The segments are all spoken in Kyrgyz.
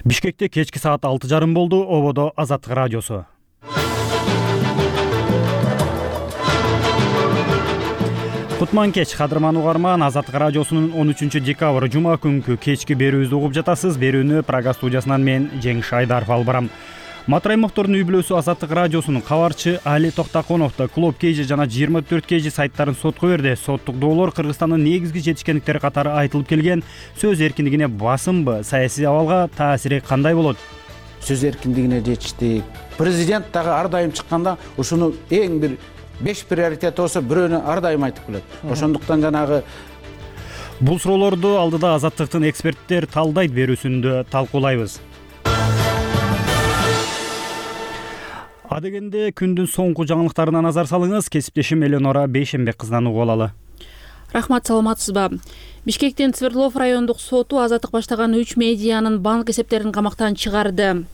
Бишкекте кечки саат 6:30 болду. Ободо Азаттык радиосу. Кутман кеч, кадырман угарман. Азаттык радиосунун 13 декабрь жума күнкү кечки берүүбүздү угуп жатасыз. Берүүнү Прага студиясынан мен Жеңиш Айдаров алып барам. Матраимовдордун үй бүлөсү Азаттык радиосунун кабарчы Али Токтаконовду Клуб KG жана 24 KG сайттарын сотко берди. Соттук доолор Кыргызстандын негизги жетишкендиктери катары айтылып келген. Сөз эркиндигине басымбы, саясий абалга таасири кандай болот? Сөз эркиндигине жетиштик. Президент дагы ар дайым чыкканда ушуну эң бир 5 приоритет болсо бирөөнү ар дайым айтып келет. Ошондуктан жанагы бул суроолорду алдыда Азаттыктын эксперттер талдайт берүүсүндө талкуулайбыз. Адегенде күндүн соңку жаңылыктарына назар салыңыз. Кесиптешим Эленора Бейшенбек кызынан угуп алалы. Рахмат, саламатсызбы? Бишкектин Свердлов райондук соту Азаттык баштаган 3 медианын банк эсептерин камактан чыгарды.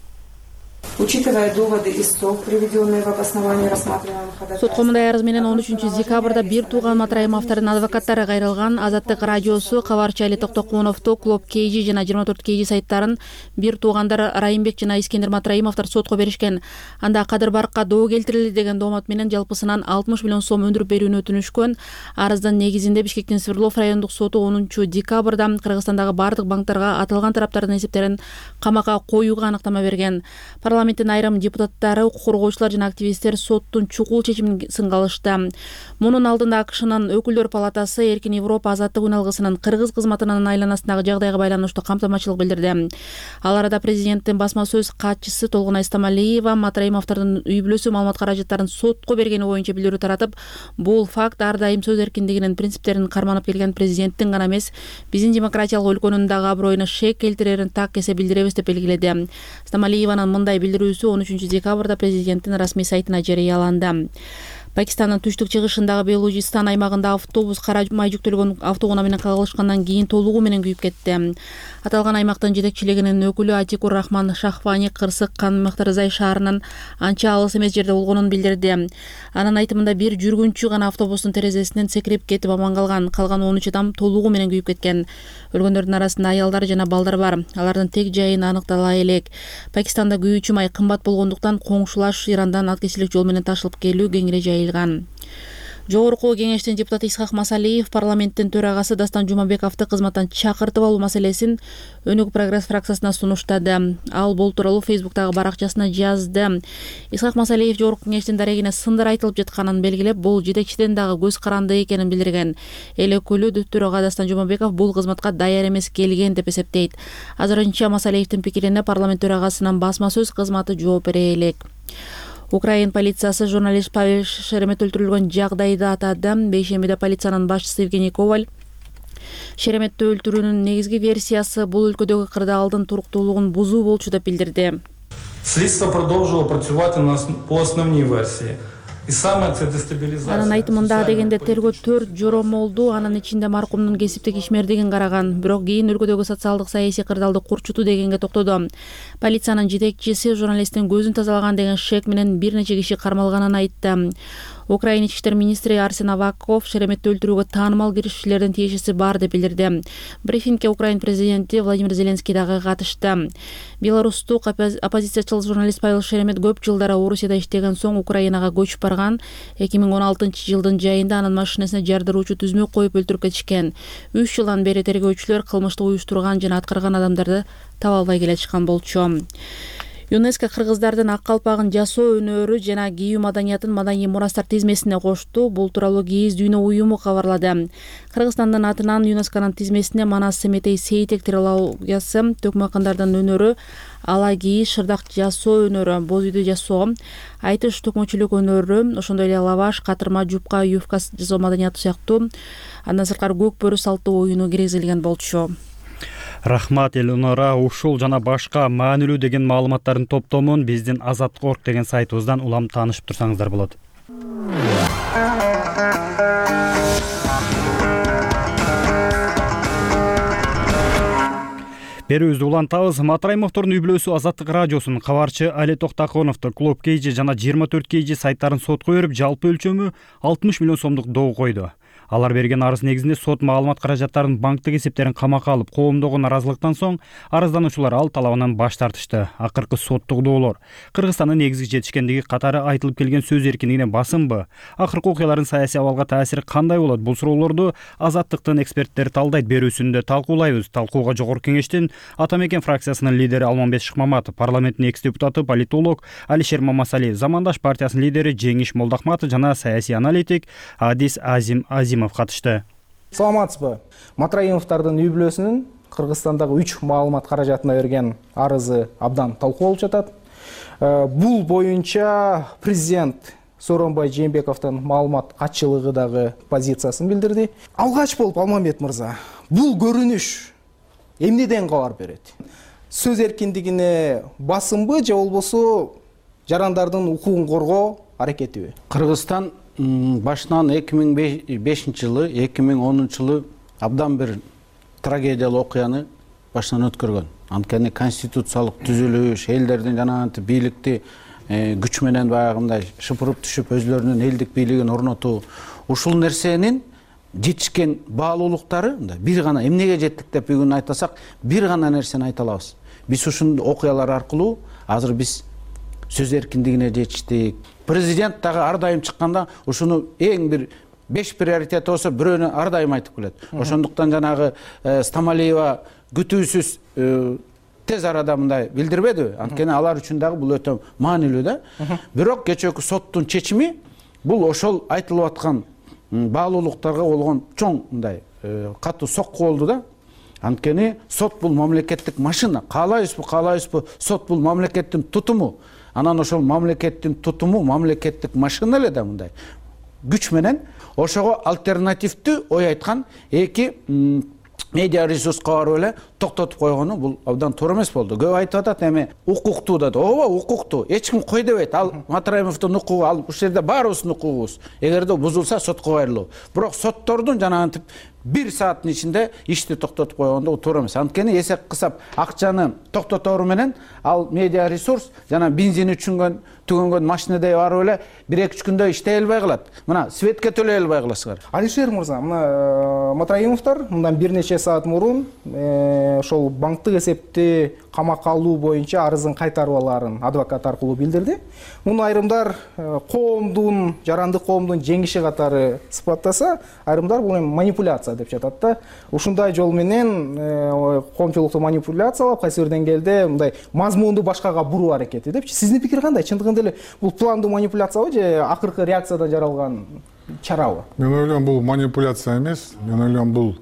Учитывая доводы истцов, приведенные в обосновании рассматриваемых ходатайств. Сотко мындай арыз менен 13 декабрда бир тууган Матраимовдордун адвокаттары кайрылган. Азаттык радиосу кабарчы Али Токтоконовду Клуб KG жана 24 KG сайттарын бир туугандар Райымбек жана Искендер Матраимовдор сотко беришкен. Анда Кадыр Баркка доо келтирилди деген доомат менен жалпысынан 60 миллион сом өндүрүп берүүнү өтүнүшкөн. Арыздын негизинде Бишкектин Свердлов райондук соту 10 декабрда Кыргызстандагы бардык банктарга аталган тараптардын эсептерин камакка коюуга аныктама берген. Парламенттин айрым депутаттары, укук коргоочулар жана активисттер соттун чукул чечимин сынгалышты. Мунун алдында АКШнын өкүлдөр палатасы Эркин Европа азаттык үналгысынын кыргыз кызматынын айланасындагы жагдайга байланыштуу камтамачылык билдирди. Ал арада президенттин басма сөз катчысы Толгунай Стамалиева Матраимовдордун үй бүлөсү маалымат каражаттарын сотко бергени боюнча билдирүү таратып, бул факт ар дайым сөз эркиндигинин принциптерин карманып келген президенттин гана эмес, биздин демократиялык өлкөнүн дагы аброюна шек келтирерин так эсе билдиребиз деп белгиледи. Стамалиеванын мындай билдирүүсү 13 декабрда президенттин расмий сайтына жарыяланды. Пакистандын түштүк-чыгышындагы Белужистан аймагында автобус кара май жүктөлгөн автоунаа менен кагылышкандан кийин толугу менен күйүп кетти. Аталган аймактын жетекчилигинин өкүлү Атикур Рахман Шахвани Кырсык Канмактырзай шаарынын анча алыс эмес жерде болгонун билдирди. Анын айтымында бир жүргүнчү гана автобустун терезесинен секирип кетип аман калган. Калган 13 адам толугу менен күйүп кеткен. Өлгөндөрдүн арасында аялдар жана балдар бар. Алардын тег жайын аныктала элек. Пакистанда күйүүчү май кымбат болгондуктан коңшулаш Ирандан аткечилик жол менен ташылып келүү кеңири жайылган. Жогорку кеңештин депутаты Исхак Масалиев парламенттин төрагасы Дастан Жумабековду кызматтан чакыртып алуу маселесин Өнүк прогресс фракциясына сунуштады. Ал бул тууралуу Фейсбуктагы баракчасына жазды. Исхак Масалиев жогорку кеңештин дарегине сындар айтылып жатканын белгилеп, бул жетекчиден дагы көз каранды экенин билдирген. Эл өкүлү төрага Дастан Жумабеков бул кызматка даяр эмес келген деп эсептейт. Азырынча Масалиевдин пикирине парламент төрагасынын басма сөз кызматы жооп бере элек. Украин полициясы журналист Павел Шеремет өлтүрүлгөн жагдайды атады. Бейшембиде полициянын башчысы Евгений Коваль Шереметти өлтүрүүнүн негизги версиясы бул өлкөдөгү кырдаалдын туруктуулугун бузуу болчу деп билдирди. Следствие продолжило працювати по основной версии. Анын айтымында дегенде тергөө 4 жоромолду, анын ичинде маркумдун кесиптик ишмердигин караган, бирок кийин өлкөдөгү социалдык саясий кырдаалды курчутуу дегенге токтоду. Полициянын жетекчиси журналисттин көзүн тазалаган деген шек менен бир нече киши кармалганын айтты. Украин ички иштер министри Арсен Аваков Шереметти өлтүрүүгө таанымал киришчилердин тиешеси бар деп билдирди. Брифингге Украин президенти Владимир Зеленский дагы катышты. Беларустук оппозициячыл журналист Павел Шеремет көп жылдары Орусияда иштеген соң Украинага көчүп барган. 2016-жылдын жайында анын машинесине жардыруучу түзмөк коюп өлтүрүп кетишкен. 3 жылдан бери тергөөчүлөр кылмышты уюштурган жана аткарган адамдарды таба албай келатышкан болчу. ЮНЕСКО кыргыздардын ак калпагын жасоо өнөрү жана кийүү маданиятын маданий мурастар тизмесине кошту. Бул тууралуу Кийиз дүйнө уюму кабарлады. Кыргызстандын атынан ЮНЕСКОнун тизмесине Манас Семетей сейтек трилогиясы, төкмөкандардын өнөрү, ала кийиз, шырдак жасоо өнөрү, боз үйдү жасоо, айтыш төкмөчүлүк өнөрү, ошондой эле лаваш, катырма, жупка, юбка жасоо маданияты сыяктуу андан сырткары көк бөрү салттуу оюну киргизилген болчу. Рахмат, Эленора. Ушул жана башка маанилүү деген маалыматтардын топтомун биздин Азаттык.org деген сайтыбыздан улам таанышып турсаңыздар болот. Берүүбүздү улантабыз. Матраимовдордун үй бүлөсү Азаттык радиосунун кабарчы Али Токтаконовду Клуб KG жана 24 KG сайттарын сотко берип, жалпы өлчөмү 60 миллион сомдук доо койду. Алар берген арыз негизинде сот маалымат каражаттарын банктык эсептерин камакка алып, коомдогу наразылыктан соң арыздануучулар ал талабынан баш тартышты. Акыркы соттугдоолор Кыргызстандын негизги жетишкендиги катары айтылып келген сөз эркиндигине басымбы? Акыркы окуялардын саясий абалга таасири кандай болот? Бул суроолорду Азаттыктын эксперттери талдайт берүүсүндө талкуулайбыз. Талкууга Жогорку Кеңештин Ата Мекен фракциясынын лидери Алмамбет Шыкмаматов, парламенттин экс-депутаты, политолог Алишер Мамасалиев, Замандаш партиясынын лидери Жеңиш Молдохматов жана саясий аналитик Адис Азимов катышты. Саламатсызбы? Матраимовдордун үй бүлөсүнүн Кыргызстандагы 3 маалымат каражатына берген арызы абдан талкуу болуп жатат. Бул боюнча президент Сооронбай Жээнбековдун маалымат катчылыгы дагы позициясын билдирди. Алгач болуп Алмамбет мырза, бул көрүнүш эмнеден кабар берет? Сөз эркиндигине басымбы же болбосо жарандардын укугун коргоо аракетиби? Кыргызстан башынан 2005-жылы, 2010-жылы абдан бир трагедиялуу окуяны башынан өткөргөн. Анткени конституциялык түзүлүш, элдердин жанагынтип бийликти күч менен баягындай шыпырып түшүп өзлөрүнүн элдик бийлигин орнотуу, ушул нерсенин жетишкен баалуулуктары бир гана эмнеге жеттик деп бүгүн айтасак, бир гана нерсени айта алабыз. Биз ушул окуялар аркылуу азыр биз сөз эркиндигине жетиштик. Президент дагы ар дайым чыкканда ушуну эң бир 5 приоритет болсо бирөөнү ар дайым айтып келет. Ошондуктан жанагы Стамалиева күтүүсүз тез арада мындай билдирбедиби? Анткени алар үчүн дагы бул өтө маанилүү да. Бирок кечээки соттун чечими бул ошол айтылып аткан баалуулуктарга болгон чоң мындай катуу сокку болду да. Анткени сот бул мамлекеттик машина. Каалайбызбы, сот бул мамлекеттин тутуму. Анан ошол мамлекеттин тутуму мамлекеттик машина эле да мындай күч менен ошого альтернативдүү ой айткан эки медиа ресурска барып эле токтотуп койгону бул абдан туура эмес болду. Көп айтып атат эми укуктуу да. Ооба, укуктуу. Эч ким кой дебейт. Ал Матраимовдун укугу, ал ушул жерде баарыбыздын укугубуз. Эгерде бузулса сотко кайрылуу. Бирок соттордун жанагынтип 1 сааттын ичинде ишти токтотуп койгондо туура эмес. Анткени эсеп кысап акчаны токтотору менен ал медиа ресурс жана бензини түгөнгөн машинедей барып эле 1-2 күндө иштей албай калат. Мына светке төлөй албай каласыңар. Алишер мырза, мына Матраимовдор мындан бир нече саат мурун ошол банктык эсепти камакка алуу боюнча арызын кайтарбаларын адвокат аркылуу билдирди. Муну айрымдар коомдун, жарандык коомдун жеңиши катары сыпаттаса, айрымдар бул манипуляция деп жатат да. Ушундай жол менен коомчулукту манипуляциялап, кайсы бир деңгээлде мындай мазмунду башкага буруу аракети депчи. Сиздин пикир кандай? Чындыгында эле бул пландуу манипуляциябы же акыркы реакциядан жаралган чарабы? Мен ойлойм бул манипуляция эмес. Мен ойлойм бул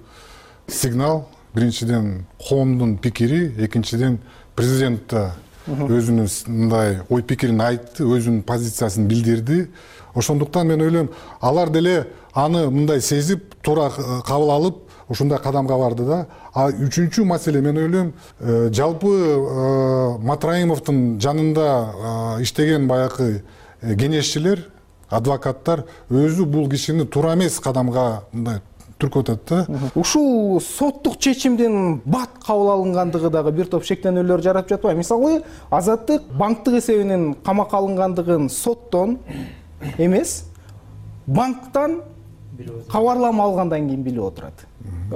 сигнал. Биринчиден коомдун пикири, экинчиден президент да өзүнүн мындай ой пикирин айтты, өзүнүн позициясын билдирди. Ошондуктан мен ойлойм алар деле аны мындай сезип, туура кабыл алып, ушундай кадамга барды да. А үчүнчү маселе мен ойлойм жалпы Матраимовдун жанында иштеген баягы кеңешчилер, адвокаттар өзү бул кишини туура эмес кадамга мындай түркөтөт да. Ушул соттук чечимдин бат кабыл алынгандыгы дагы бир топ шектенүүлөр жарап жатпайбы? Мисалы, Азаттык банктык эсебинин камакка алынгандыгын соттон эмес, банктан кабарлама алгандан кийин билип отурат.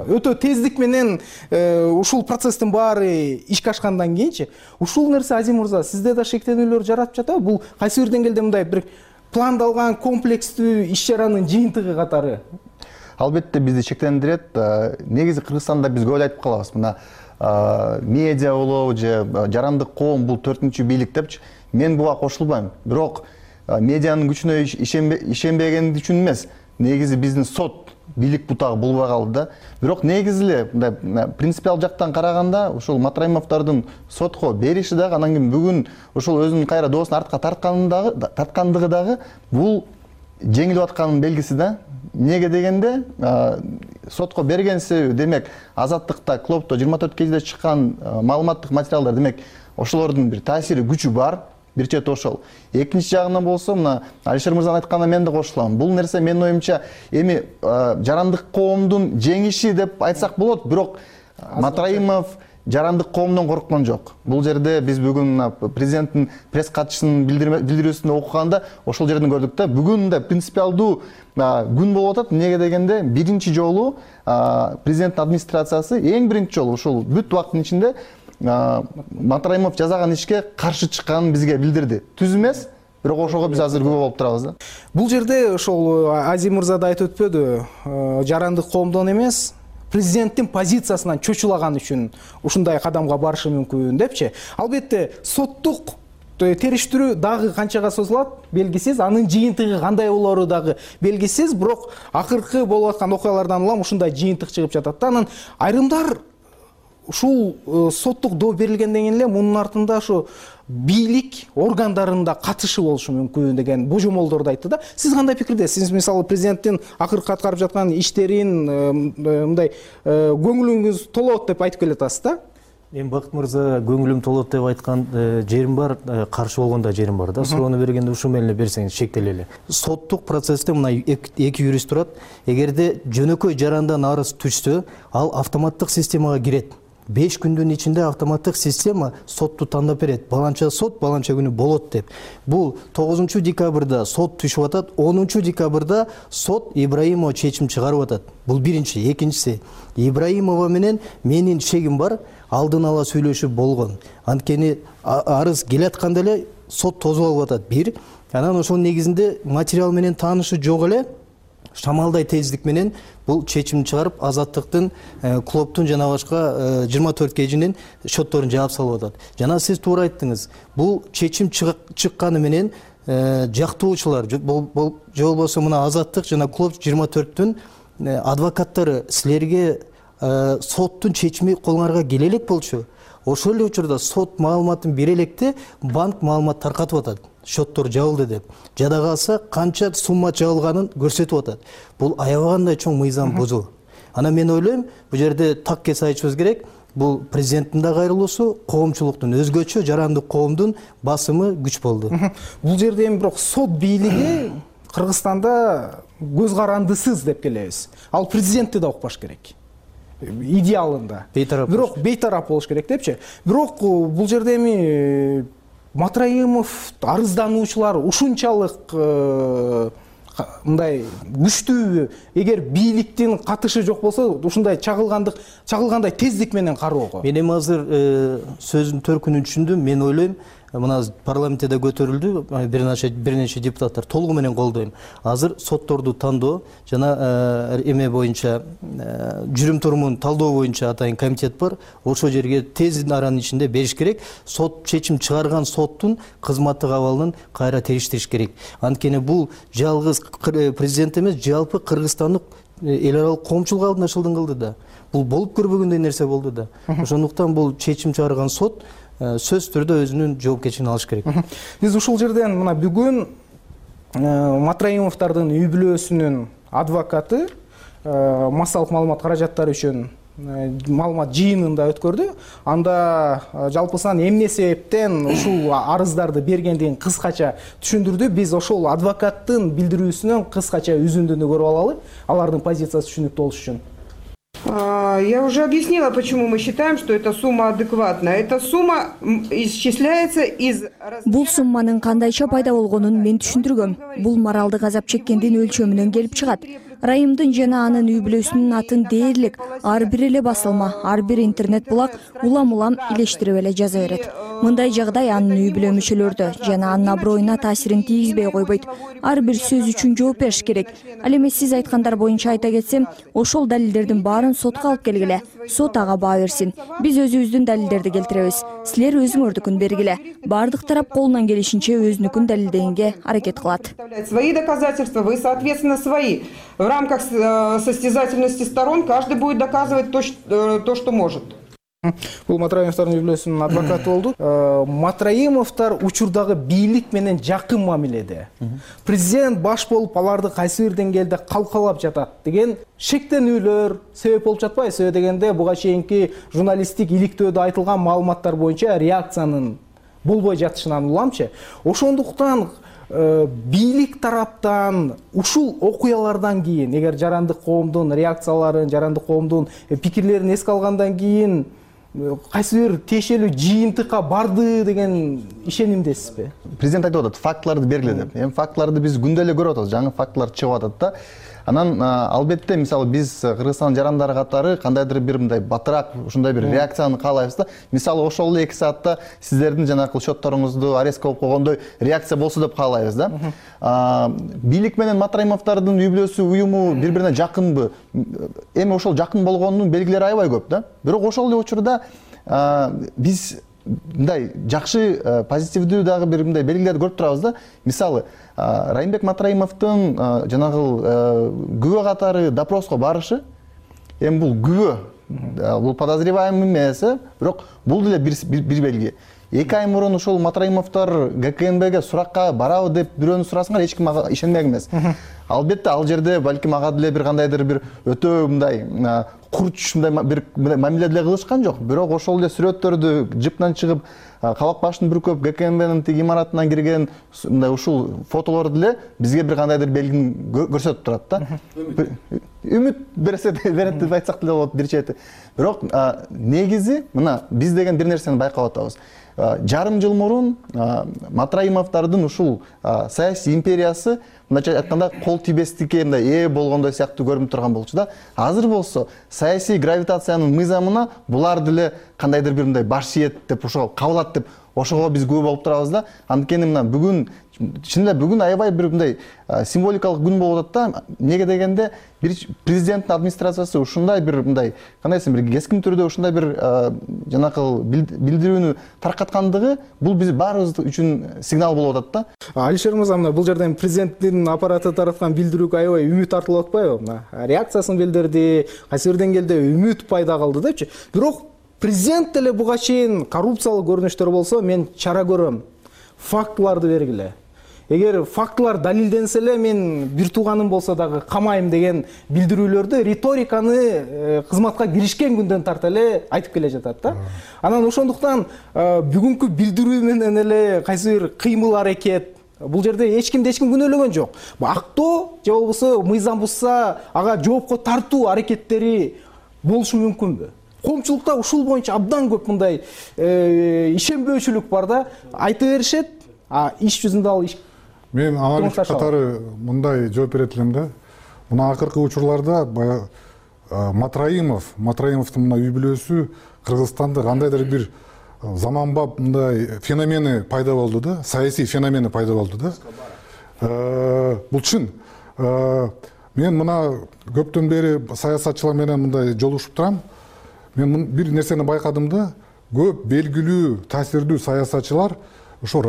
Өтө тездик менен ушул процесстин баары ишке ашкандан кийинчи, ушул нерсе Азим мырза сизде да шектенүүлөр жарап жатабы? Бул кайсы бир деңгээлде мындай бир пландалган комплекстүү иш чаранын жыйынтыгы катары? Албетте бизди шектендирет. Негизи Кыргызстанда биз көп айтып калабыз. Мына медиа болобу же жарандык коом бул 4-чү бийлик депчи. Мен буга кошулбайм. Бирок медианын күчүнө ишенбегенди үчүн эмес. Негизи биздин сот бийлик бутагы болбой калды да. Бирок негизи эле мындай принципиал жактан караганда ушул Матраимовдордун сотко бериши дагы анан кийин бүгүн ушул өзүнүн кайра доосун артка тарткандыгы дагы бул жеңилип атканын белгиси да. Неге дегенде сотко берген себеби демек Азаттыкта, Клопто 24 кежиде чыккан маалыматтык материалдар демек ошолордун бир таасири күчү бар. Бир чет ошол. Экинчи жагынан болсо мына Алишер мырзанын айтканына мен да кошулам. Бул нерсе менин оюмча эми жарандык коомдун жеңиши деп айтсак болот, бирок Матраимов жарандык коомдон корккон жок. Бул жерде биз бүгүн президенттин пресс катчысынын билдирүүсүндө окуганда ошол жерден көрдүк да. Бүгүн да принципиалдуу күн болуп атат. Эмнеге дегенде биринчи жолу президенттин администрациясы эң биринчи жолу ушул бүт убакыттын ичинде Матраимов жасаган ишке каршы чыкканын бизге билдирди. Түз эмес, бирок ошого биз азыр күбө болуп турабыз да. Бул жерде ошол Азий мырза да айтып өтпөдү, жарандык коомдон эмес, президенттин позициясынан чочулаган үчүн ушундай кадамга барышы мүмкүн депчи. Албетте соттук териштирүү дагы канчага созулат белгисиз, анын жыйынтыгы кандай болору дагы белгисиз, бирок акыркы болуп аткан окуялардан улам ушундай жыйынтык чыгып жатат да. Анан айрымдар ушул соттук доо берилгенден кийин эле мунун артында ушу бийлик органдарында катышы болушу мүмкүн деген божомолдорду айтты да. Сиз кандай пикирдесиз? Сиз мисалы президенттин акыркы аткарып жаткан иштерин мындай көңүлүңүз толот деп айтып келатасыз да? Эми Бакыт мырза көңүлүм толот деп айткан жерим бар, каршы болгон да жерим бар да. Суроону бергенде ушул менен эле берсеңиз шектелели. Соттук процессте мына эки юрист турат. Эгерде жөнөкөй жарандан арыз түшсө, ал автоматтык системага кирет. 5 күндүн ичинде автоматтык система сотту тандап берет. Баланча сот, баланча күнү болот деп. Бул 9 декабрда сот түшүп атат, 10 декабрда сот Ибраимова чечим чыгарып атат. Бул биринчи. Экинчиси, Ибраимова менен менин шегим бар, алдын ала сүйлөшүп болгон. Анткени арыз келатканда эле сот тозуп алып атат. Бир, анан ошонун негизинде материал менен таанышы жок эле, шамалдай тездик менен бул чечим чыгарып, Азаттыктын, клубтун жана башка 24 кежинин шотторун жаап салып атат. Жана сиз туура айттыңыз. Бул чечим чыкканы менен жактоочулар, же болбосо мына Азаттык жана клуб 24-түн адвокаттары силерге соттун чечими колуңарга келе элек болчу. Ошол эле учурда сот маалыматын бере электе банк маалымат таркатып атат. Шоттор жабылды деп. Жада калса канча сумма жабылганын көрсөтүп атат. Бул аябагандай чоң мыйзам бузуу. Анан мен ойлойм, бул жерде так кесе айтышыбыз керек. Бул президенттин да кайрылуусу, коомчулуктун өзгөчө жарандык коомдун басымы күч болду. Бул жерде эми бирок сот бийлиги Кыргызстанда көз карандысыз деп келебиз. Ал президентти да укпаш керек. Идеалында. Бирок бейтарап болуш керек депчи. Бирок бул жерде эми Матраимов арыздануучулар ушунчалык мындай күчтүүбү? Эгер бийликтин катышы жок болсо, ушундай чагылгандай тездик менен кароого. Мен эми азыр сөзүнүн төркүнүн түшүндүм. Мен ойлойм, мына парламентте да көтөрүлдү, бир нече депутаттар толугу менен колдойм. Азыр сотторду тандоо жана эме боюнча жүрүм турумун талдоо боюнча атайын комитет бар. Ошол жерге тез аранын ичинде бериш керек. Сот чечим чыгарган соттун кызматтык абалын кайра териштириш керек. Анткени бул жалгыз президент эмес, жалпы Кыргызстандык эл аралык коомчулук алдында шылдың кылды да. Бул болуп көрбөгөндөй нерсе болду да. Ошондуктан бул чечим чыгарган сот сөз түрдө өзүнүн жоопкерчилигин алыш керек. Биз ушул жерден мына бүгүн Матраимовдордун үй бүлөсүнүн адвокаты массалык маалымат каражаттары үчүн маалымат жыйынында өткөрдү. Анда жалпысынан эмне себептен ушул арыздарды бергендигин кыскача түшүндүрдү. Биз ошол адвокаттын билдирүүсүнөн кыскача үзүндүнү көрүп алалы, алардын позициясы түшүнүктүү болуш үчүн. Я уже объяснила, почему мы считаем, что эта сумма адекватная. Эта сумма исчисляется из... Бул сумманын кандайча пайда болгонун мен түшүндүргөм. Бул моралдык азап чеккендин өлчөмүнөн келип чыгат. Райымдын жана анын үй бүлөсүнүн атын дээрлик ар бир эле басылма, ар бир интернет булак улам илештирип эле жаза берет. Мындай жагдай анын үй бүлө мүчөлөрдө жана анын аброюна таасирин тийгизбей койбойт. Ар бир сөз үчүн жооп бериш керек. Ал эми сиз айткандар боюнча айта кетсем, ошол далилдердин баарын сотко алып келгиле. Сот ага баа берсин. Биз өзүбүздүн далилдерди келтиребиз. Силер өзүңөрдүкүн бергиле. Бардык тарап колунан келишинче өзүнүкүн далилдегенге аракет кылат. Свои доказательства, вы, соответственно, свои. В рамках состязательности сторон каждый будет доказывать то, что может. Бул Матраимовдордун үй бүлөсүнүн адвокаты болду. Матраимовдор учурдагы бийлик менен жакын мамиледе. Президент баш болуп аларды кайсы бир деңгээлде калкалап жатат деген шектенүүлөр себеп болуп жатпайбы? Себеби дегенде буга чейинки журналисттик иликтөөдө айтылган маалыматтар боюнча реакциянын болбой жатышынан уламчы. Ошондуктан бийлик тараптан ушул окуялардан кийин, эгер жарандык коомдун реакцияларын, жарандык коомдун пикирлерин эске алгандан кийин кайсы бир тиешелүү жыйынтыкка барды деген ишенимдесизби? Президент айтып атат, фактыларды бергиле деп. Эми фактыларды биз күндө эле көрүп атабыз, жаңы фактылар чыгып атат да. Анан албетте мисалы биз Кыргызстан жарандары катары кандайдыр бир мындай батыраак ушундай бир реакцияны каалайбыз да. Мисалы ошол эле 2 саатта сиздердин жанагы счетторуңузду арест болуп койгондой реакция болсо деп каалайбыз да. Бийлик менен Матраимовдордун үй бүлөсү уюму бири-бирине жакынбы? Эми ошол жакын болгонунун белгилери аябай көп да. Бирок ошол эле учурда биз мындай жакшы позитивдүү дагы бир мындай белгилерди көрүп турабыз да. Мисалы Райымбек Матраимовдун жанагы күбө катары допроско барышы, эми бул күбө, бул подозреваемый эмес, бирок бул деле бир белги. 2 ай мурун ушул Матраимовдор ГКНБге суракка барабы деп бирөөнү сурасаңар, эч ким ага ишенмек эмес. Албетте ал жерде балким ага деле бир кандайдыр бир өтө мындай курч мындай бир мамиле деле кылышкан жок. Бирок ошол эле сүрөттөрдү жыптан чыгып, кабак башын бүркөп ГКНБнын тиги имаратынан кирген мындай ушул фотолор деле бизге бир кандайдыр белгини көрсөтүп турат да. Үмүт берет деп айтсак деле болот бир чети. Бирок негизи мына биз деген бир нерсени байкап атабыз. Жарым жыл мурун Матраимовдордун ушул саясий империясы мындайча айтканда кол тийбестикке мындай ээ болгондой сыяктуу көрүнүп турган болчу да. Азыр болсо саясий гравитациянын мыйзамына булар деле кандайдыр бир мындай баш ийет деп ошого кабылат деп ошого биз күбө болуп турабыз да. Анткени мына бүгүн чын эле бүгүн аябай бир мындай символикалык күн болуп атат да. Неге дегенде бир президенттин администрациясы ушундай бир мындай кандай десем бир кескин түрдө ушундай бир жанакы билдирүүнү таркаткандыгы бул биз баарыбыз үчүн сигнал болуп атат да. Алишер мырза, мына бул жерден президенттин аппараты тараткан билдирүүгө аябай үмүт артылып атпайбы? Мына реакциясын билдирди, кайсы бир деңгээлде үмүт пайда кылды депчи. Бирок президент деле буга чейин коррупциялык көрүнүштөр болсо мен чара көрөм. Фактыларды бергиле. Эгер фактылар далилденсе эле мен бир тууганым болсо дагы камайм деген билдирүүлөрдү риториканы кызматка киришкен күндөн тарта эле айтып келе жатат да. Анан ошондуктан бүгүнкү билдирүү менен эле кайсы бир кыймыл аракет бул жерде эч ким күнөөлөгөн жок. Актоо же болбосо мыйзам бузса ага жоопко тартуу аракеттери болушу мүмкүнбү? Коомчулукта ушул боюнча абдан көп мындай ишенбөөчүлүк бар да. Айта беришет, иш жүзүндө ал мен аналитик катары мындай жооп берет элем да. Мына акыркы учурларда баягы Матраимовдун мына үй бүлөсү Кыргызстанда кандайдыр бир заманбап мындай феномени пайда болду да, саясий феномени пайда болду да. Бул чын. Мен мына көптөн бери саясатчылар менен мындай жолугушуп турам. Мен бир нерсени байкадым да, көп белгилүү, таасирдүү саясатчылар ошо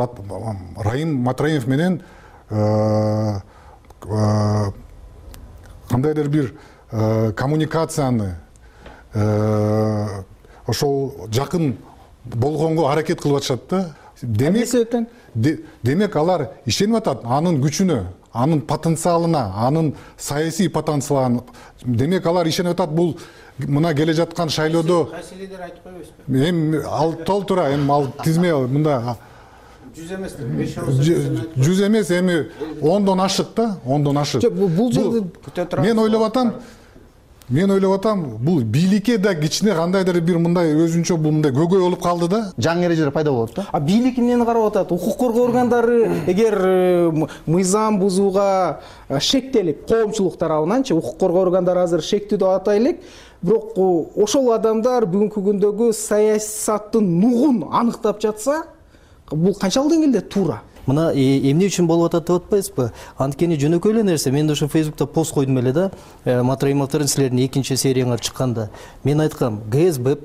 Райым Матраимов менен кандайдыр бир коммуникацияны ошол жакын болгонго аракет кылып атышат да. Демек алар ишенип атат анын күчүнө, анын потенциалына, анын саясий потенциалына. Демек алар ишенип атат бул мына келе жаткан шайлоодо кайсы лидер айтып койбойсузбу? Эми ал толтура, эми ал тизме мында 100 эмес, 100 эмес, эми 10дон ашык да, 10дон ашык. Бул жерде мен ойлоп атам, бул бийликке да кичине кандайдыр бир мындай өзүнчө бул мындай көйгөй болуп калды да. Жаңы эрежелер пайда болот да. Бийлик эмнени карап атат? Укук коргоо органдары эгер мыйзам бузууга шектелип, коомчулук тарабынанчы укук коргоо органдары азыр шектүү деп атайлык. Бирок ошол адамдар бүгүнкү күндөгү саясаттын нугун аныктап жатса, бул канчалык деңгээлде туура? Мына эмне үчүн болуп атат деп атпайсызбы? Анткени жөнөкөй эле нерсе. Мен ошо Facebook'та пост койдум эле да. Матраимовдордун силердин экинчи серияңар чыкканда. Мен айткам, ГСБ,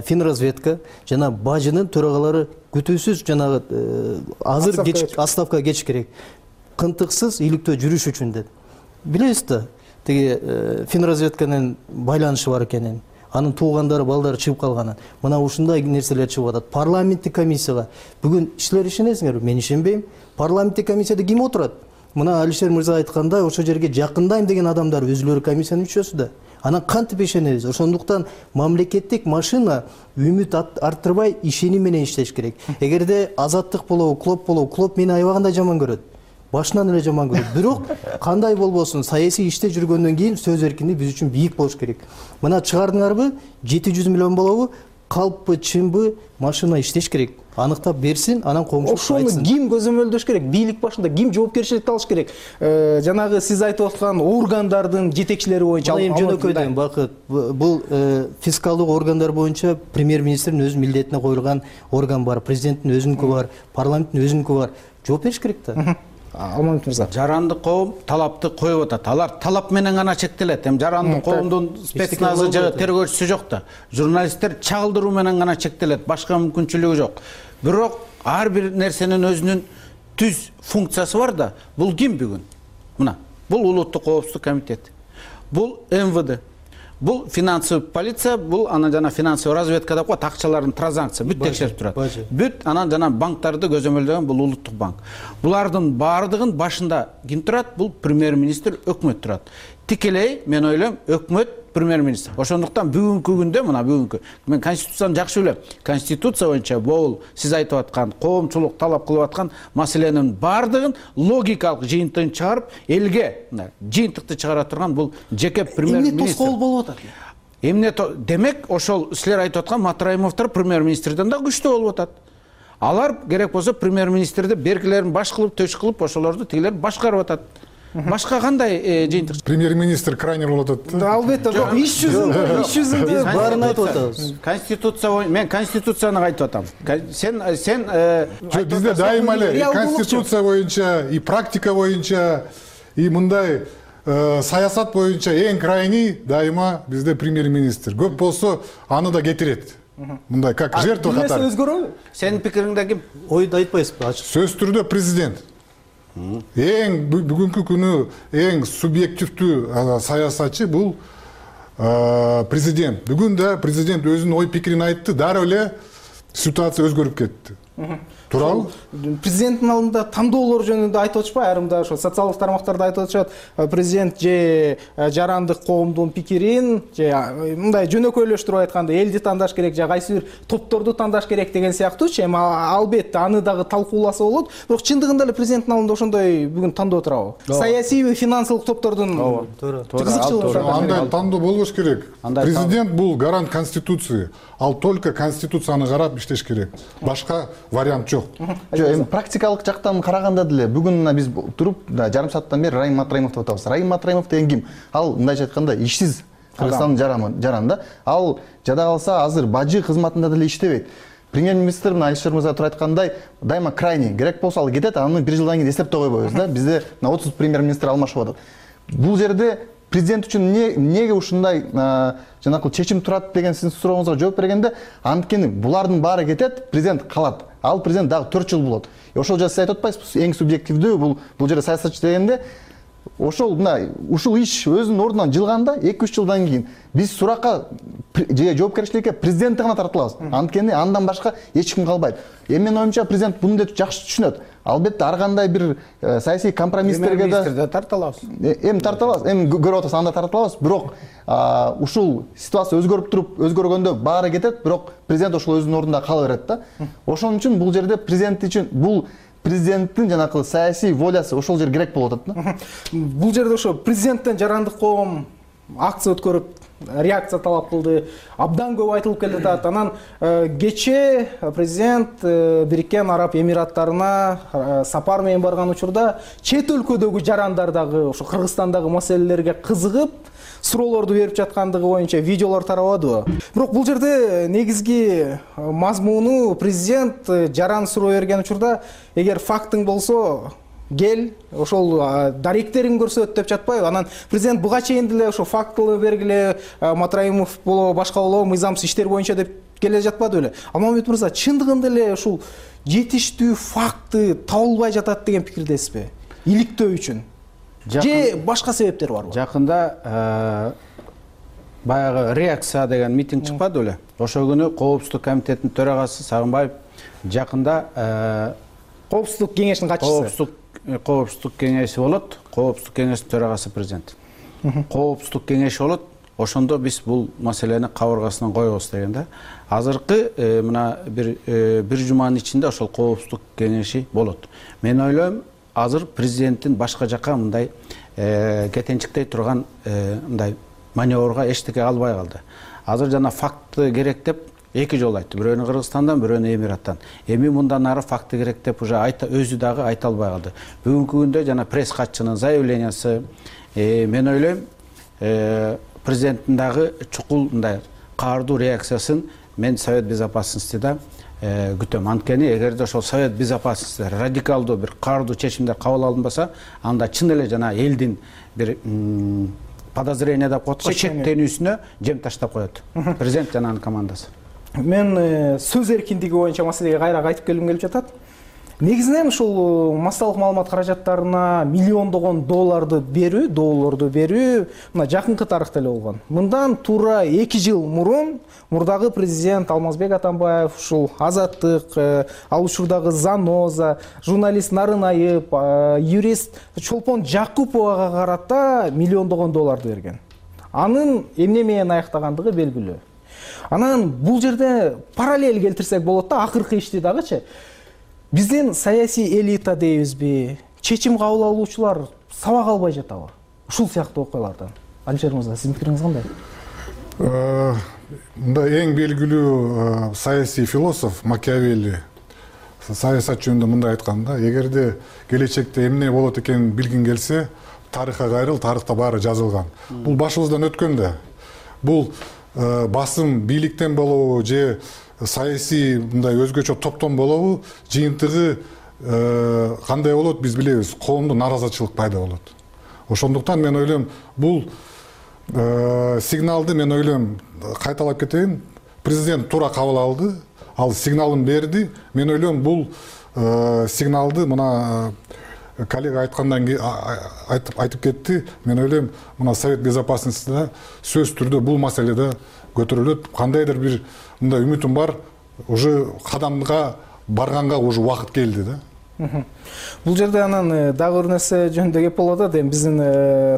Финразведка жана бажынын төрагалары күтүүсүз жанагы азыр отставкага кетиш керек. Кынтыксыз иликтөө жүрүш үчүн деп. Билесиз да, тиги Финразведканын байланышы бар экенин. Анын туугандары, балдары чыгып калганын. Мына ушундай нерселер чыгып атат. Парламенттик комиссияга бүгүн силер ишенесиңерби? Мен ишенбейм. Парламенттик комиссияда ким отурат? Мына Алишер мырза айткандай, ошол жерге жакындайм деген адамдар өзүлөрү комиссиянын мүчөсү да. Анан кантип ишенебиз? Ошондуктан мамлекеттик машина үмүт арттырбай ишеним менен иштеш керек. Эгерде Азаттык болобу, Клоп мени аябагандай жаман көрөт. Башынан эле жаман көрөт. Бирок кандай болбосун, саясий иште жүргөндөн кийин сөз эркиндиги биз үчүн бийик болуш керек. Мына чыгардыңарбы? 700 миллион болобу? калппы чынбы машина иштеш керек, аныктап берсин, анан коомчулукка ошону айтсын. ким көзөмөлдөш керек? Бийлик башында ким жоопкерчиликти алыш керек? Жанагы сиз айтып аткан органдардын жетекчилери боюнча Эми жөнөкөйдөн Бакыт, бул фискалдык органдар боюнча премьер-министрдин өзүнүн милдетине коюлган орган бар, президенттин өзүнүкү бар, парламенттин өзүнүкү бар. Жооп бериш керек да. Алмамет мырза. Жарандык коом талапты коюп атат. Алар талап менен гана чектелет. Эми жарандык коомдун спецназы же тергөөчүсү жок да. Журналисттер чагылдыруу менен гана чектелет. Башка мүмкүнчүлүгү жок. Бирок ар бир нерсенин өзүнүн түз функциясы бар да. Бул ким бүгүн? Мына, бул улуттук коопсуздук комитети. Бул МВД. Бул финансовый полиция, бул анан жана финансовый разведка деп коет, акчалардын транзакция бүт текшерип турат. Бүт анан жана банктарды көзөмөлдөгөн бул улуттук банк. Булардын баардыгын башында ким турат? Бул премьер-министр, өкмөт турат. Тикелей мен ойлойм өкмөт премьер-министр. Ошондуктан бүгүнкү күндө мына бүгүнкү мен конституцияны жакшы билем. Конституция боюнча бул сиз айтып аткан коомчулук талап кылып аткан маселенин баардыгын логикалык жыйынтыгын чыгарып, элге жыйынтыкты чыгара турган бул жеке премьер-министр. Эмне тоскоол болуп атат? Эмне демек ошол силер айтып аткан Матраимовдор премьер-министрден да күчтүү болуп атат. Алар керек болсо премьер-министрди бергилерин баш кылып, төш кылып, ошолорду тигилер башкарып атат. Башка кандай жыйынтык? Премьер-министр крайне болуп атат. Албетте, жок, иш жүзүндө баарын айтып атабыз. Конституция, мен конституцияны айтып атам. Сен бизде дайыма эле конституция боюнча, и практика боюнча, и мындай саясат боюнча эң крайний дайыма бизде премьер-министр. Көп болсо аны да кетирет. Мындай как жертва катары. Өзгөрөбү? Сенин пикириңде ким? Ойду айтпайсызбы? Ачык. Сөз түрдө президент. Эң бүгүнкү күнү эң субъективдүү саясатчы бул президент. Бүгүн да президент өзүнүн ой пикирин айтты, дароо эле ситуация өзгөрүп кетти. Туурабы? Президенттин алдында тандоолор жөнүндө айтып атышпайбы? Айрымда ошо социалдык тармактарда айтып атышат. Президент же жарандык коомдун пикирин, же мындай жөнөкөйлөштүрүп айтканда элди тандаш керек, же кайсы бир топторду тандаш керек деген сыяктуучу. Эми албетте аны дагы талкууласа болот. Бирок чындыгында эле президенттин алдында ошондой бүгүн тандоо турабы? Саясий, финансылык топтордун кызыкчылыгы. Андай тандоо болбош керек. Президент бул гарант конституции. Ал только конституцияны карап иштеш керек. Башка вариант жок. Жок, эми практикалык жактан караганда деле бүгүн мына биз туруп жарым сааттан бери Раим Матраимов деп атабыз. Раим Матраимов деген ким? Ал мындайча айтканда ишсиз Кыргызстандын жараны. Ал жада калса азыр бажы кызматында деле иштебейт. Премьер-министр Алишер мырза туруп айткандай, дайыма крайний керек болсо ал кетет, аны бир жылдан кийин эстептей койбойбуз да. Бизде 30 премьер-министр алмашып атат. Бул жерде президент үчүн эмнеге ушундай жанакы чечим турат деген сиздин сурооңузга жооп бергенде, анткени булардын баары кетет, президент калат. Ал президент дагы 4 жыл болот. Ошол жерде сиз айтып атпайсызбы? Эң субъективдүү бул жерде саясатчы дегенде ошол ушул иш өзүнүн ордунан жылганда 2-3 жылдан кийин биз суракка же жоопкерчиликке президентти гана тартылабыз. Анткени андан башка эч ким калбайт. Эми менин оюмча президент муну жакшы түшүнөт. Албетте ар кандай бир саясий компромисстерге да тартылабыз. Эми тартылабыз, эми көрүп атасыз, анда тартылабыз. Бирок ушул ситуация өзгөрүп туруп, өзгөргөндө баары кетет, бирок президент ошол өзүнүн ордунда кала берет да. Ошон үчүн бул жерде президент үчүн бул президенттин жанакы саясий волясы ошол жер керек болуп атат да. Бул жерде ошо президенттен жарандык коом акция өткөрүп, реакция талап кылды. Абдан көп айтылып келатат. Анан кечээ президент Бириккен Араб Эмираттарына сапар менен барган учурда чет өлкөдөгү жарандар дагы ошо Кыргызстандагы маселелерге кызыгып, суроолорду берип жаткандыгы боюнча видеолор тарабадыбы? Бирок бул жерде негизги мазмуну президент жаран суроо берген учурда эгер фактың болсо кел, ошол даректерин көрсөт деп жатпайбы? Анан президент буга чейин деле ошо фактылы бергиле, Матраимов болобу, башка болобу, мыйзамсыз иштер боюнча деп келе жатпады беле? Алмамет мырза, чындыгында эле ушул жетиштүү факты табылбай жатат деген пикирдесизби? Иликтөө үчүн же башка себептер барбы? Жакында баягы реакция деген митинг чыкпады беле? Ошол күнү Коопсуздук комитетинин төрагасы Сагынбаев жакында Коопсуздук кеңешинин катчысы. Коопсуздук кеңеши болот. Коопсуздук кеңешинин төрагасы президент. Коопсуздук кеңеши болот. Ошондо биз бул маселени кабыргасынан коебуз деген да. Азыркы мына бир жуманын ичинде ошол Коопсуздук кеңеши болот. Мен ойлойм, азыр президенттин башка жака мындай кетенчиктей турган мындай маневрга эчтеке калбай калды. Азыр жана факты керек деп эки жолу айтты. Бирөөнү Кыргызстандан, бирөөнү Эмираттан. Эми мындан ары факты керек деп уже өзү дагы айта албай калды. Бүгүнкү күндө жана пресс катчынын заявлениясы, мен ойлойм, президенттин дагы чукул мындай каардуу реакциясын мен Совет Безопасностьда күтөм. Анткени эгерде ошол Совет Безопасности радикалдуу бир каардуу чечимдер кабыл алынбаса, анда чын эле жана элдин бир подозрение деп коет го, чектенүүсүнө жем таштап коет президент жана анын командасы. Мен сөз эркиндиги боюнча маселеге кайра кайтып келгим келип жатат. Негизинен ушул массалык маалымат каражаттарына миллиондогон долларды берүү мына жакынкы тарыхта эле болгон. Мындан туура 2 жыл мурун мурдагы президент Алмазбек Атамбаев ушул Азаттык, ал учурдагы Заноза, журналист Нарынаев, юрист Чолпон Жакуповага карата миллиондогон долларды берген. Анын эмне менен аяктагандыгы белгилүү. Анан бул жерде параллель келтирсек болот да, акыркы ишти дагычы. Биздин саясий элита дейбизби, чечим кабыл алуучулар сабак албай жатабы? Ушул сыяктуу окуялардан. Алишер мырза, сиздин пикириңиз кандай? Мындай эң белгилүү саясий философ Макиавелли саясат жөнүндө мындай айткан да: эгерде келечекте эмне болот экенин билгиң келсе, тарыхка кайрыл, тарыхта баары жазылган. Бул башыбыздан өткөн да. Бул басым бийликтен болобу же саясий мындай өзгөчө топтон болобу, жыйынтыгы кандай болот биз билебиз. Коомдо наразычылык пайда болот. Ошондуктан мен ойлойм, бул сигналды мен ойлойм, кайталап кетейин, президент туура кабыл алды, ал сигналын берди. Мен ойлойм, бул сигналды мына коллега айткандан кийин айтып кетти. Мен ойлойм, мына Совет Безопасностьда сөз түрдө бул маселеде көтөрүлөт. Кандайдыр бир мындай үмүтүм бар, уже кадамга барганга уже убакыт келди да. Бул жерде анан дагы бир нерсе жөнүндө кеп болуп атат. Эми биздин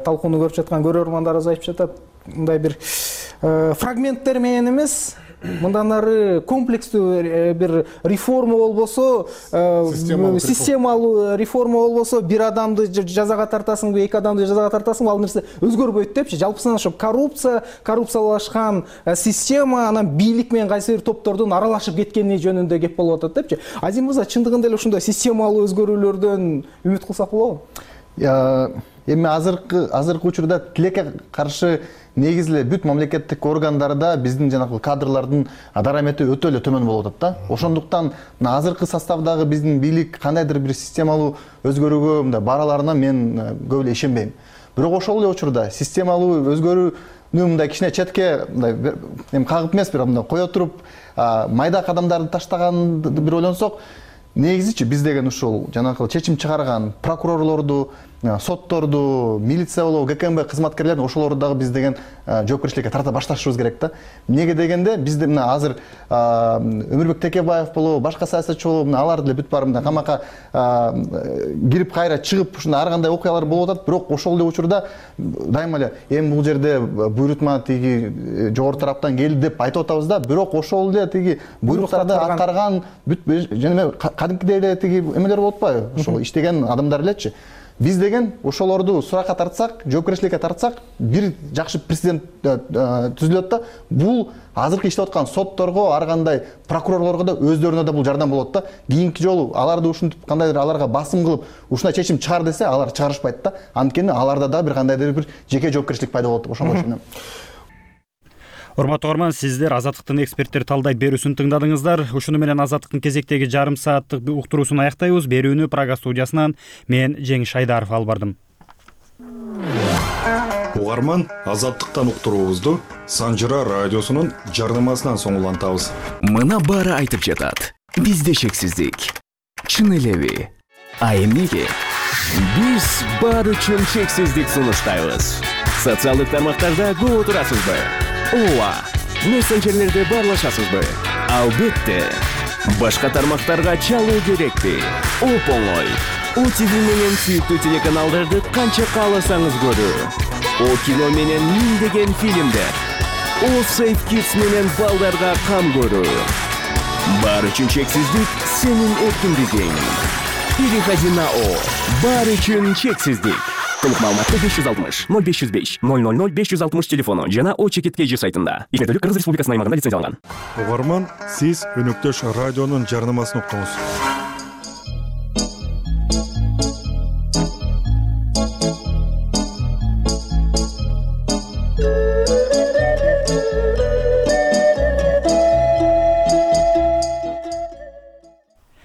талкууну көрүп жаткан көрөрмандарыбыз айтып жатат, мындай бир фрагменттер менен эмес, мындан ары комплекстүү бир реформа болбосо, системалуу реформа болбосо, бир адамды жазага тартасыңбы, эки адамды жазага тартасыңбы, ал нерсе өзгөрбөйт депчи. Жалпысынан ошо коррупциялашкан система, анан бийлик менен кайсы бир топтордун аралашып кеткени жөнүндө кеп болуп атат депчи. Азим мырза, чындыгында эле ушундай системалуу өзгөрүүлөрдөн үмүт кылсак болобу? Эми азыркы учурда тилекке каршы негизи эле бүт мамлекеттик органдарда биздин жанагы кадрлардын дарамети өтө эле төмөн болуп атат да. Ошондуктан азыркы составдагы биздин бийлик кандайдыр бир системалуу өзгөрүүгө мындай бараларына мен көп эле ишенбейм. Бирок ошол эле учурда системалуу өзгөрүүнү мындай кичине четке мындай эми кагып эмес, бирок мындай кое туруп майда кадамдарды таштаганды бир ойлонсок, негизичи биз деген ушул жанагы чечим чыгарган прокурорлорду, сотторду, милиция болобу, ГКМБ кызматкерлерин ошолорду дагы биз деген жоопкерчиликке тарта башташыбыз керек да. Эмнеге дегенде бизде мына азыр Өмүрбек Текебаев болобу, башка саясатчы болобу, алар деле бүт баары мындай камакка кирип кайра чыгып ушундай ар кандай окуялар болуп атат. Бирок ошол эле учурда дайыма эле эми бул жерде буйрутма тиги жогорку тараптан келди деп айтып атабыз да. Бирок ошол эле тиги буйруктарды аткарган бүт жана кадимкидей эле тиги эмелер болуп атпайбы? Ошол иштеген адамдар элечи. Биз деген ошолорду суракка тартсак, жоопкерчиликке тартсак, бир жакшы президент түзүлөт да. Бул азыркы иштеп аткан сотторго, ар кандай прокурорлорго да өздөрүнө да бул жардам болот да. Кийинки жолу аларды ушинтип кандайдыр аларга басым кылып, ушундай чечим чыгар десе, алар чыгарышпайт да. Анткени аларда да бир кандайдыр бир жеке жоопкерчилик пайда болот деп ошого ишенем. Урматтуу угарман, сиздер Азаттыктын эксперттер талдайт берүүсүн тыңдадыңыздар. Ушуну менен Азаттыктын кезектеги жарым сааттык уктуруусун аяктайбыз. Берүүнү Прага студиясынан мен Жеңиш Айдаров алып бардым. Угарман, Азаттыктан уктуруубузду Санжыра радиосунун жарнамасынан соң улантабыз. Мына баары айтып жатат. Бизде чексиздик. Чын элеби? А эмнеге? Биз баары үчүн чексиздик сунуштайбыз. Социалдык тармактарда көп отурасызбы? Ооба, мессенджерлерде баарлашасызбы? Албетте. Башка тармактарга чалуу керекпи? Оп-оңой. ОТВ менен сүйүктүү телеканалдарды канча кааласаңыз көрүү. О кино менен миңдеген фильмдер. О Safe Kids менен балдарга кам көрүү. Баары үчүн чексиздик сенин эркиндигиң. Переходи на О. Баары үчүн чексиздик. толук маалыматты 560 0505 000 560 телефону жана Очекит KG сайтында. Ишмердүүлүк Кыргыз Республикасынын аймагында лицензияланган. Угарман, сиз өнөктөш радионун жарнамасын уктуңуз.